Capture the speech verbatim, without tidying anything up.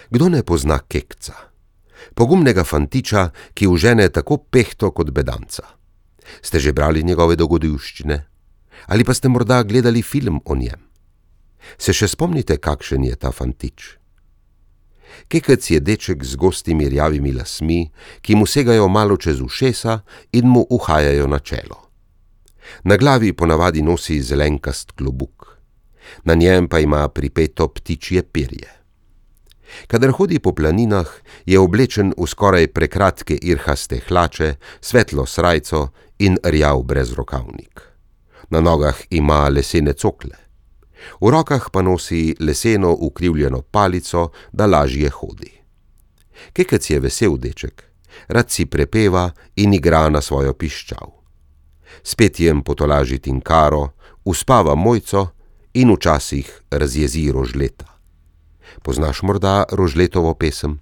Kdo ne pozna Kekca? Pogumnega fantiča, ki užene tako pehto kot bedanca. Ste že brali njegove dogodivščine? Ali pa ste morda gledali film o njem? Se še spomnite, kakšen je ta fantič? Kekec je deček z gostimi rjavimi lasmi, ki mu segajo malo čez ušesa in mu uhajajo na čelo. Na glavi ponavadi nosi zelenkast klobuk. Na njem pa ima pripeto ptičje perje. Kadar hodi po planinah, je oblečen v skoraj prekratke irhaste hlače, svetlo srajco in rjav brezrokavnik. Na nogah ima lesene cokle. V rokah pa nosi leseno ukrivljeno palico, da lažje hodi. Kekec je vesel deček, rad si prepeva in igra na svojo piščal. S petjem potolaži Tinkaro, uspava Mojco in včasih razjezi Rožleta. Poznaš morda Rožletovo pesem?